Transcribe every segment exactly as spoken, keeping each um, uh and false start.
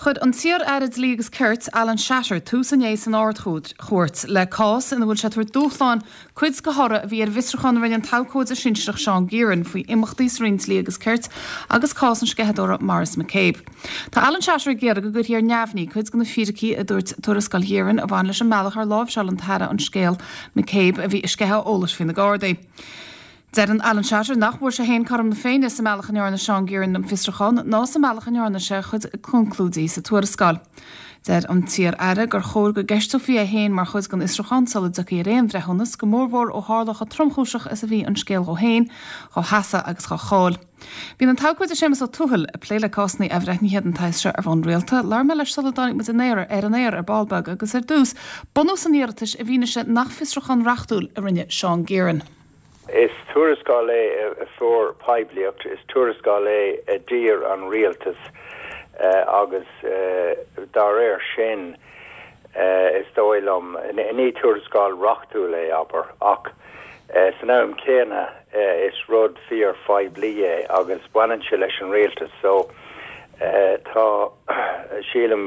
Chuir an t-iar-aire Dlí agus Cirt Alan Shatter tús inné san Ard-Chúirt le cás ina bhfuil sé ag tabhairt dúshlán cuid den thoradh a bhí ar bhfiosrúchán a rinne an t-abhcóide sinsearach Seán Gearan faoi imeachtaí sa Roinn Dlí agus Cirt agus cás an sceitheadóra Maurice McCabe. Tá Alan Shatter ag iarraidh go gcuirfí ar neamhní cuid de na fíricí a dúirt tuarascáil Ghearan a bhain leis an mbealach ar láimhseáil an tAire an scéal McCabe a bhí ag sceitheadh eolais faoi na Gardaí. Deireann Alan Shatter nach bhfuair sé féin cothrom na Féinne sa mbealach a ndearna Seán Gearan an fiosrúchán ná sa mbealach a ndearna sé chuid conclúidí sa tuarascáil. Deir an t-iar-aire gur chóir go gceisteofaí é féin mar chuid den fhiosrúchán sula dtiocfaí ar aon bhreithiúnas go mórmhór ó tharla chomh tromchúiseach is a bhí an scéal dhó féin, dá sheasamh agus dá cháil. Bíonn an t-abhcóide Séamus Ó Tuathail ag plé le cásanna athbhreithnithe den tsaghas seo ar bhonn rialta, labhair mé leis sula dtáinig muid an aer ar an aer ar ball beag agus ar dtús, bunús an iarratais i bhfianaise nach fiosrúchán reachtúil a rinne Seán Gearan. Is tuarascáil é a fuair poiblíocht, is tuarascáil é a d'iarr an rialtas agus dá réir sin is dóigh liom ní tuarascáil reachtúil é abair ach san am céanna is rud fíorphoiblí é agus baineann sé leis an rialtas so tá sílim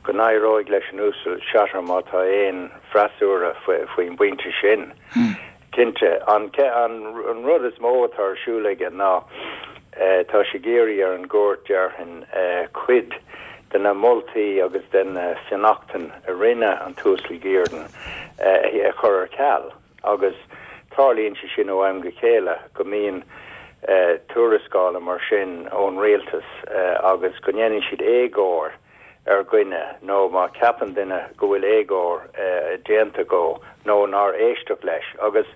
go n-éireoidh leis an Uasal Shatter má tá aon freasúra faoin bpointe sin. Hmm. Cinnte an an rud is mó atá ar siúl aige ná tá sé ag iarraidh ar an gcúirt déarfainn cuid de na moltaí agus den fionnachtain a rinne an tUasal Gearan a chur ar ceal agus tarlaíonn sé sin ó am go chéile go mbíonn tuarascála mar sin ón rialtas agus go ndéanann siad éagóir ar dhuine nó má cheapann duine go bhfuil éagóir déanta dhó nó nár éisteadh leis agus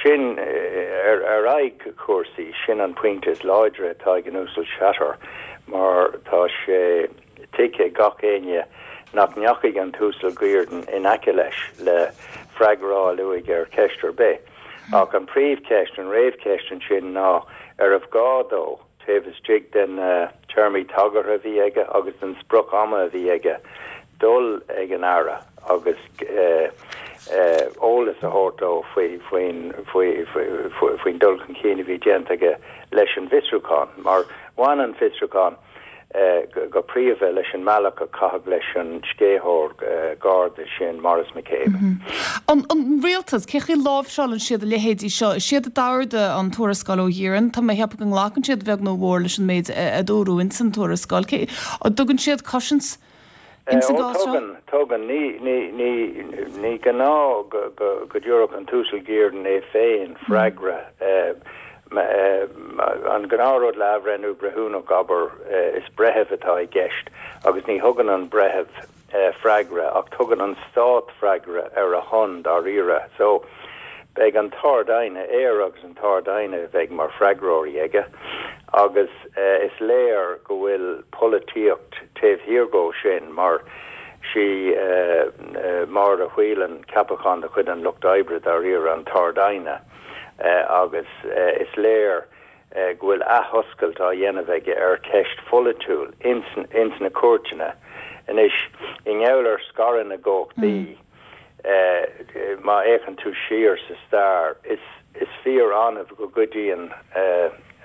sin ar ar aghaidh cúrsaí sin an pointe is láidre atá ag an Uasal Shatter mar tá sé tuigthe ag gach éinne nach ndeachaigh an tUasal Gearan in aice leis le freagra a fháil uaidh ar cheist ar bith. Ach an príomhcheist an réamhcheist ansin ná arbh ghá dó taobh istigh den téarmaí tagartha a bhí aige agus den sprioc ama a bhí aige dul ag an aire agus eolas a thabhairt dó faoi faoin faoi faoin dul chun cinn a bhí déanta aige leis an bhfiosrúchán mar bhain an fiosrúchán go príomha leis an mbealach a caitheadh leis an sceitheoir Garda sin Maurice McCabe. An an rialtas cé chaoi a láimhseálann siad a leithéidí seo, is iad a d'ordaigh an tuarascáil ó Ghearan, tá mé ag ceapadh go nglacann siad beag nó mór leis an méid a dúradh ins an tuarascáil. Cé dtugann siad cosaint ins an gcás seo? Tugann tugann ní ní ní ní gnáth go go go dtabharfadh an tUasal Gearan é féin freagra an gnáthrud le athbhreithniú breithiúnach abair is breitheamh atá i gceist agus ní thugann an breitheamh freagra ach tugann an stát freagra ar a shon dáiríre. So beidh an tArd-Aighne air agus an tArd-Aighne bheidh mar freagróirí aige agus is léir go bhfuil polaitíocht taobh thiar dhó sin mar sí Máire Whelan ceapachán de chuid an Lucht Oibre dáiríre an tArd-Aighne. agus is léir go bhfuil athoscailt á dhéanamh aige ar cheist pholaitiúil ins ins na cúirteanna. Anois i ngeall ar scaradh na gcumhachtaí má fhéachann tú siar sa stair is is fíor-annamh go gcuidíonn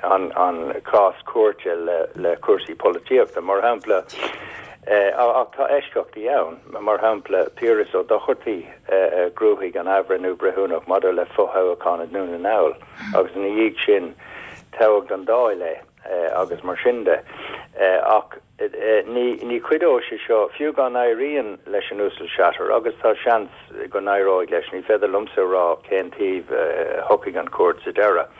an an cás cúirte le le cúrsaí polaitíochta. Mar shampla ach tá eisceachtaí ann, mar shampla Piaras Ó Dochartaigh a ghnóthaigh an athbhreithniú breithiúnach maidir le fothoghchán i nDún na nGall agus ina dhiaidh sin toghadh don Dáil é agus mar sin de. Ach ní ní chuideoidh sé seo fiú dá n-éiríonn leis an Uasal Shatter agus tá seans go n-éireoidh leis, ní féidir liomsa a rá cén taobh a thiocfaidh an chúirt sa deireadh.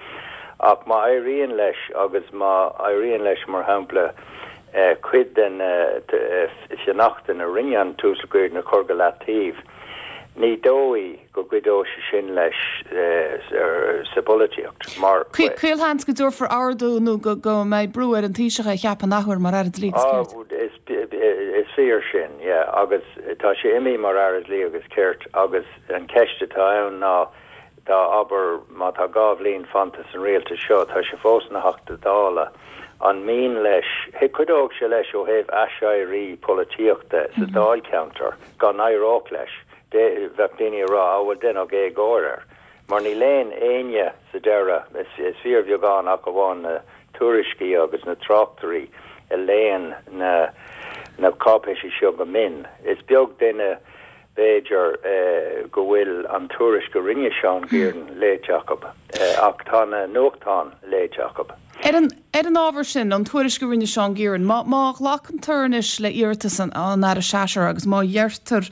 Ach má éiríonn leis agus má éiríonn leis mar shampla cuid den fhionnachtain a rinne an tUasal Gearan a chur go leataobh, ní dóigh go gcuideoidh sé sin leis sa bpolaitíocht mar. Caolsheans go dtabharfar ordú nó go mbeidh brú ar an Taoiseach é a cheapadh an athuair mar Aire Dlí agus Cirt. Is fíor sin, yeah, agus tá sé imithe mar Aire Dlí agus Cirt agus an cheist atá ann ná dá abair má tá dhá bhliain fanta san rialtas seo, tá sé fós ina Theachta Dála, an mian leis, cuideoidh sé leis ó thaobh aiséirí polaitíochta sa dáilcheantar, dá n-éireodh leis, bheadh daoine ag rá, á bhuel deineadh éagóir air. Mar ní léann éinne sa deireadh, is fíorbheagán ach amháin na tuairiscí agus na tráchtairí a léann na na cáipéisí seo go mion. Is beag duine b'fhéidir go bhfuil an tuairisc a rinne Seán Guerin léite acu, ach tá na nuachtáin léite acu. Ar an ar an ábhar sin, an tuairisc a rinne Seán Guerin, má má ghlacantar anois le hiarratas an an Aire Shatter agus má dheirtear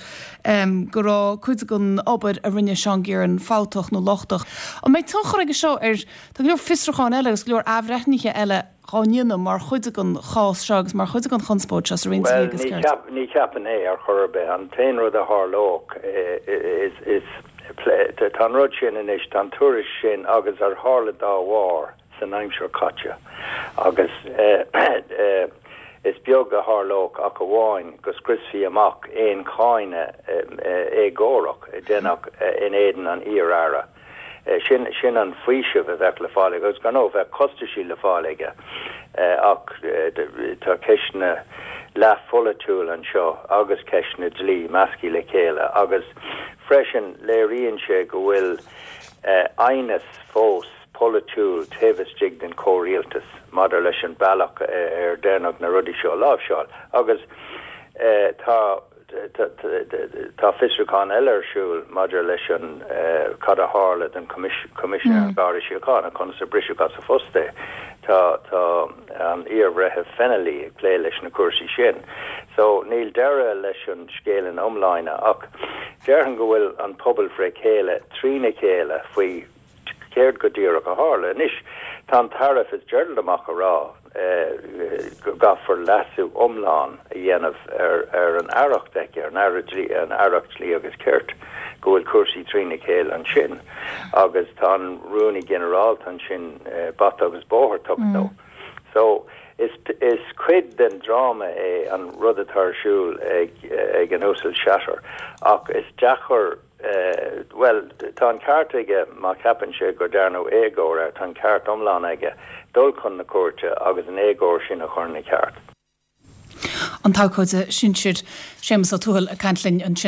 go raibh cuid den obair a rinne Seán Guerin fabhtach nó lochtach, an mbeidh tionchar aige seo ar tá go leor fiosrúcháin eile agus go leor athbhreithnithe eile á ndéanamh mar chuid den chás seo agus mar chuid den chonspóid seo sa Roinn Dlí agus Cirt? Well, ní cheapaim é ar chor ar bith. An t-aon rud a tharlódh is is tá an rud sin anois, tá an tuairisc sin agus ar tharla dá bharr san aimsir caite agus is beag a tharlódh ach amháin go scriosfaí amach aon cháineadh éagórach a déanadh in éadan an iar-aire. Sin sin an faoiseamh a bheadh le fáil aige agus gan ó bheith costaisí le fáil aige ach tá ceisteanna leathpholaitiúil anseo agus ceisteanna dlí measctha le chéile agus freisin léiríonn sé go bhfuil aighneas fós polaitiúil taobh istigh den chomhrialtas maidir leis an bealach ar déanadh na rudaí seo a láimhseáil agus tá Tá fiosrúchán eile ar siúl maidir leis an cad a tharla don Choimisinéir an Gharda Síochána, conas a briseadh as a phost é. Tá tá an iar-bhreitheamh Fennelly ag plé leis na cúrsaí sin. So níl deireadh leis an scéal ina iomláine ach déarfainn go bhfuil an pobal fré chéile trína chéile faoi céard go díreach a tharla. Anois, tá an tAire Fitzgerald amach a rá go gcaithfear leasú iomlán a dhéanamh ar ar an aireacht aici, ar an Aire Dlí, an Aireacht Dlí agus Cirt, go bhfuil cúrsaí trína chéile ansin agus tá an Rúnaí Ginearálta ansin bata agus bóthar tugtha dó. So, is is cuid den dráma é an rud atá ar siúl ag ag an Uasal Shatter ach is deacair Bhuel, tá an ceart aige má cheapann sé go ndearnadh éagóir air, tá an ceart iomlán aige dul chun na cúirte agus an éagóir sin a chur ina ceart. An t-abhcóide sinsir Séamus Ó Tuathail ag caint linn ansin.